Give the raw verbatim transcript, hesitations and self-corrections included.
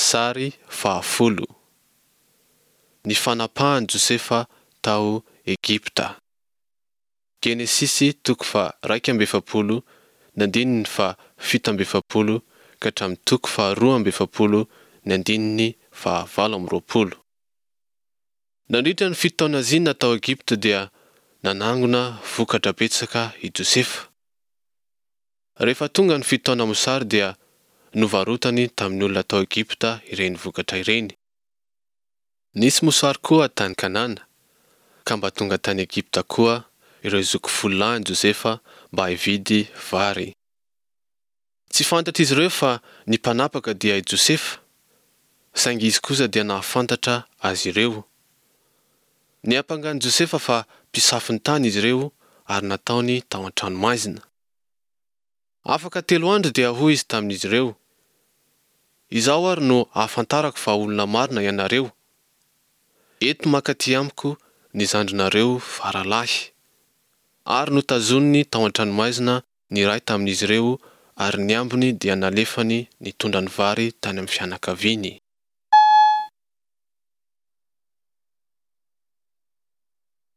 Sary fahafolo. Ny fanapahan'i Josefa tao Egypta. Genesisy toko faha-raika amby efapolo ny andininy faha-fito amby efapolo ka hatramin'ny toko faharoa amby efapolo ny andininy fahavalo amby roapolo. Nandritra ny fito taona zina tao Egypta dia nanangona vokatra betsaka i Josefa. Rehefa tonga ny fito taona mosary dia novarotany tamin'ny olona tao Egypta ireny vokatra ireny. Nisy mosary koa tany Kanana, ka mba tonga tany Egypta koa ireo zoky folo lahin'i Josefa mba hividy vary. Tsy fantatr'izy ireo fa ny mpanapaka dia i Josefa, saingy izy kosa dia nahafantatra azy ireo. Niampanga an'i Josefa fa mpisafo ny tany izy ireo ary nataony tao an-tranomaizina. Afaka telo andro dia hoy izy tamin'izy ireo, Izao ary no ahafantarako fa olona marina ianareo. Ento mankaty amiko ny zandrinareo faralahy. Ary notazoniny tao an-tranomaizina ny iray tamin'izy ireo ary ny ambiny dia nalefany nitondra ny vary tany amin'ny fianakaviany.